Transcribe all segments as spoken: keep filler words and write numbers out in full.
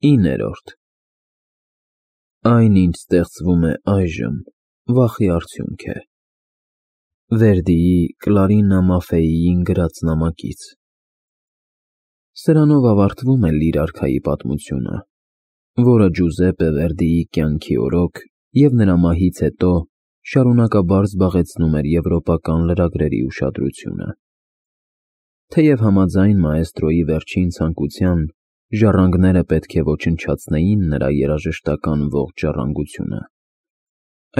իններորդ Այն, ինչ ստեղծվում է այժմ, վախի արդյունք է։ Վերդիի Կլարինա Մաֆեիին գրած նամակից։ Սրանով ավարտվում է Լիր արքայի պատմությունը, որը Ջուզեպպե Վերդիի կյանքի օրոք և նրա մահից հետո շարունակաբար զբաղեցնում էր եվրոպական լրագրերի ուշադրությունը։ Թեև համաձայն մաեստրոյի վերջին ցանկության, ժառանգները պետք է ոչնչացնեին նրա երաժշտական ողջ ժառանգությունը,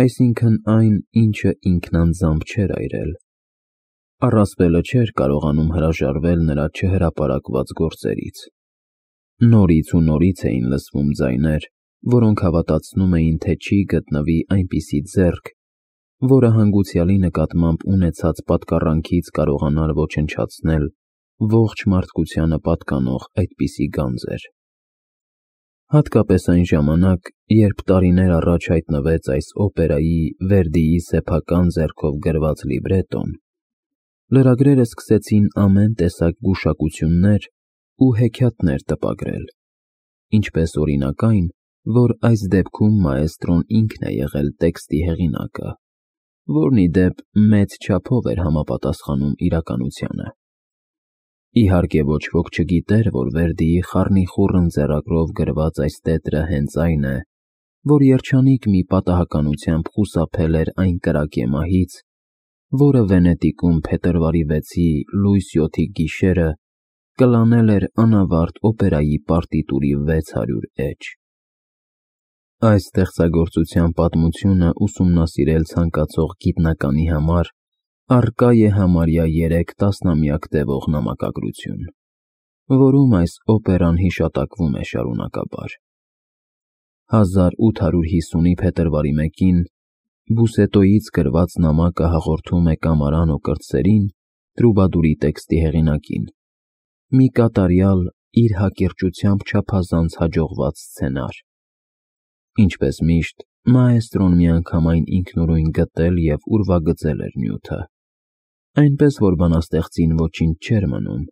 այսինքն այն, ինչը ինքն անձամբ չէր այրել, առասպելը չէր կարողանում հրաժարվել նրա չհրապարակված գործերից։ Նորից ու նորից էին լսվում ձայներ, որոնք հավատացնում էին, թե չի գտնվի այնպիսի ձեռք, որը հանգուցյալի նկատմամբ ունեցած պատկառանքից կարողանար ոչնչացնել ողջ մարդկությանը պատկանող այդպիսի գանձեր։ Հատկապես այն ժամանակ, երբ տարիներ առաջ հայտնվեց այս օպերայի Վերդիի սեփական ձեռքով գրված լիբրետոն, լրագրերը սկսեցին ամեն տեսակ գուշակություններ ու հեքիաթներ տպագրել, ինչպես օրինակ այն, որ այս դեպքում մաեստրոն ինքն է եղել տեքստի հեղինակը, որն ի դեպ մեծ չափով էր համապատասխանում իրականությանը։ Իհարկե ոչ ոք չգիտեր, որ Վերդիի խառնիխուռն ձեռագրով գրված այս տետրը հենց այն է, որ երջանիկ մի պատահականությամբ խուսափել էր այն կրակե մահից, որը Վենետիկում փետրվարի վեցի լույս յոթի գիշերը կլանել էր անավարտ օպերայի պարտիտուրի վեց հարյուր էջ։ Այս ստեղծագործության պատմությունը ուսումնասիրել ցանկացող գիտնականի համար առկա է համարյա երեք տասնամյակ տևող նամակագրություն, որում այս օպերան հիշատակվում է շարունակաբար։ հազար ութ հարյուր հիսունի փետրվարի մեկին Բուսետոյից գրված նամակը հաղորդում է կամարան օկրտսերին, Տրուբադուրի տեքստի հեղինակին, մի կատարյալ, իր հակիրճությամբ չափազանց հաջողված սցենար։ Ինչպես միշտ, մաեստրոն միանգամայն ինքնուրույն գտել և ուրվագծել էր նյութը, այնպես որ բանաստեղծին ոչինչ չէր մնում,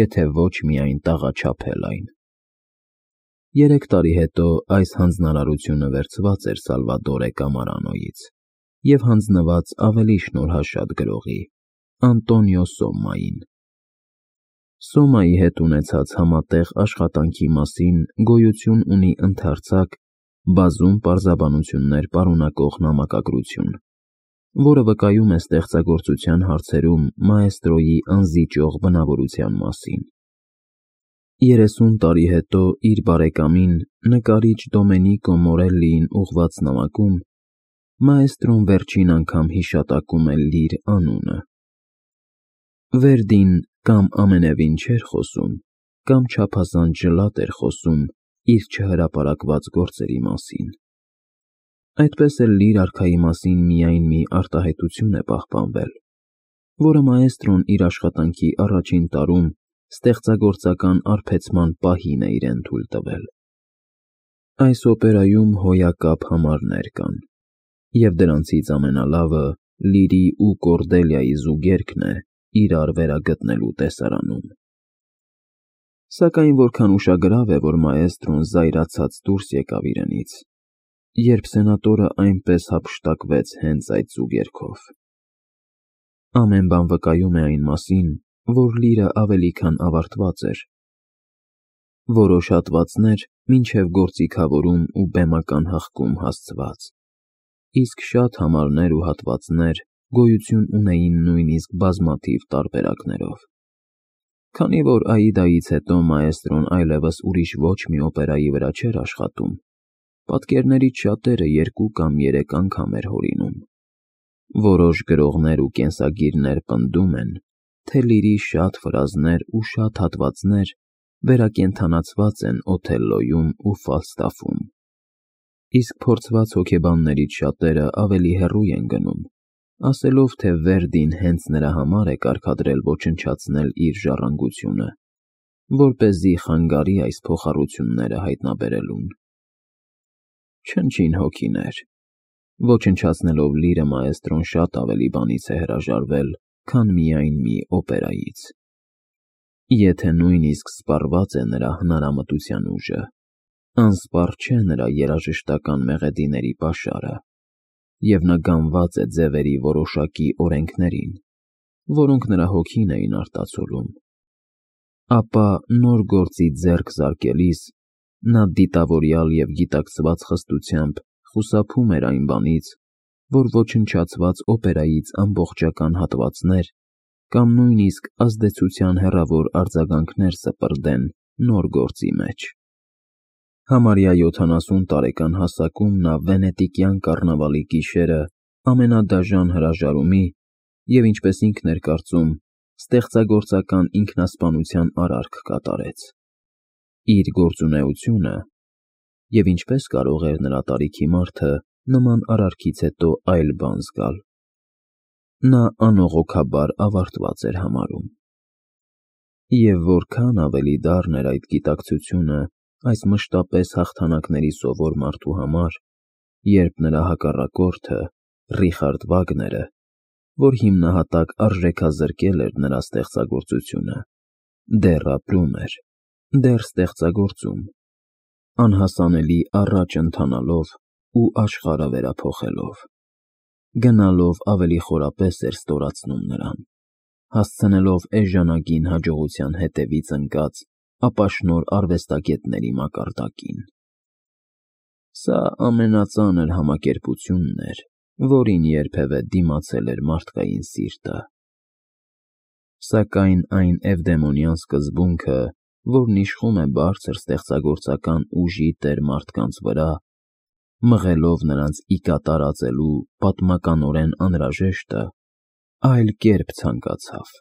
եթե ոչ միայն տաղաչափել այն։ Երեք տարի հետո այս հանձնարարությունը վերցված էր Սալվադորե Կամարանոյից և հանձնված ավելի շնորհաշատ գրողի՝ Անտոնիո Սոմմային։ Սոմմայի հետ ունեցած համատեղ աշխատանքի մասին գոյություն ունի ընդարձակ, բազում պարզաբանություններ պարունակող նամակագրություն, որը վկայում է ստեղծագործության հարցերում մաեստրոյի անզիջող բնավորության մասին։ Երեսուն տարի հետո իր բարեկամին, նկարիչ Դոմենիկո Մորելլիին ուղղված նամակում մաեստրոն վերջին անգամ հիշատակում է Լիր անունը։ Վերդին կամ ամենևին չէր խոսում, կամ չափազանց ջլատ էր խոսում իր չհրապարակված գործերի մասին։ Այդպես էլ Լիր արքայի մասին միայն մի արտահայտություն է պահպանվել, որը մաեստրոն իր աշխատանքի առաջին տարում ստեղծագործական արբեցման պահին է իրեն թույլ տվել։ Այս օպերայում հոյակապ համարներ կան, և դրանցից ամենալավը Լիրի ու Կորդելիայի զուգերգն է իրար վերագտնելու տեսարանում։ Սակայն որքան ուշագրավ է, որ մաեստրոն զայրացած դուրս եկավ իրենից, երբ սենատորը այնպես հափշտակվեց հենց այդ զուգերգով։ Ամեն բան վկայում է այն մասին, որ Լիրը ավելի քան ավարտված էր։ Որոշ հատվածներ մինչև գործիքավորում ու բեմական հղկում հասցված, իսկ շատ համարներ ու հատվածներ գոյություն ունեին նույնիսկ բազմաթիվ տարբերակներով։ Քանի որ Աիդայից հետո մաեստրոն այլևս ուրիշ ոչ մի օպերայի վրա չէր աշխատում, պատկերներից շատերը երկու կամ երեք անգամ էր հորինում։ Որոշ գրողներ ու կենսագիրներ պնդում են, թե Լիրի շատ ֆրազներ ու շատ հատվածներ վերակենդանացված են Օթելլոյում ու Ֆալստաֆում, իսկ փորձված հոգեբաններից շատերը ավելի հեռու են գնում, ասելով, թե Վերդին հենց նրա համար է կարգադրել ոչնչացնել իր ժառանգությունը, որպեսզի խանգարի այս փոխառությունները հայտնաբերելուն։ Չնչին հոգիներ, ոչնչացնելով Լիրը մաեստրոն շատ ավելի բանից է հրաժարվել, քան միայն մի օպերայից, եթե նույնիսկ սպառված է նրա հնարամտության ուժը։ Անսպառ չէ նրա երաժշտական մեղեդիների պաշարը, և նա գանված է ձևերի որոշակի օրենքներին, որոնք նրա հոգին էին արտացոլում, ապա նոր գործի ձեռք զարկելիս նա դիտավորյալ և գիտակցված խստությամբ խուսափում էր այն բանից, որ ոչնչացված օպերայից ամբողջական հատվածներ կամ նույնիսկ ազդեցության հեռավոր արձագանքներ սպրդեն նոր գործի մեջ։ Համարյա յոթանասուն տարեկան հասակում նա վենետիկյան կառնավալի գիշերը ամենադաժան հրաժարումի և, ինչպես ինքն էր կարծում, ստեղծագործական ինքնասպանության արարք կատարեց։ Իր գործունեությունը (և ինչպես կարող էր նրա տարիքի մարդը նման արարքից հետո այլ բան զգալ) նա անողոքաբար ավարտված էր համարում։ Եվ որքան ավելի դառն էր այդ գիտակցությունը այս մշտապես հաղթանակների սովոր մարդու համար, երբ նրա հակառակորդը՝ Ռիխարդ Վագները, որ հիմնահատակ արժեքազրկել էր նրա ստեղծագործությունը, դեռ ապրում էր, դեռ ստեղծագործում, անհասանելի առաջ ընթանալով ու աշխարհը վերափոխելով։ Գնալով ավելի խորապես էր ստորացնում նրան, հասցնելով էժանագին հաջողության հետևից ընկած ապաշնորհ արվեստագետների մակարդակին։ Սա ամենածանր համակերպությունն էր, որին երբևէ դիմացել էր մարդկային սիրտը։ Սակայն այն էվդեմոնյան սկզբունքը, որն իշխում է բարձր ստեղծագործական ուժի տեր մարդկանց վրա, մղելով նրանց ի կատար ածելու պատմականորեն անհրաժեշտը, այլ կերպ ցանկացավ։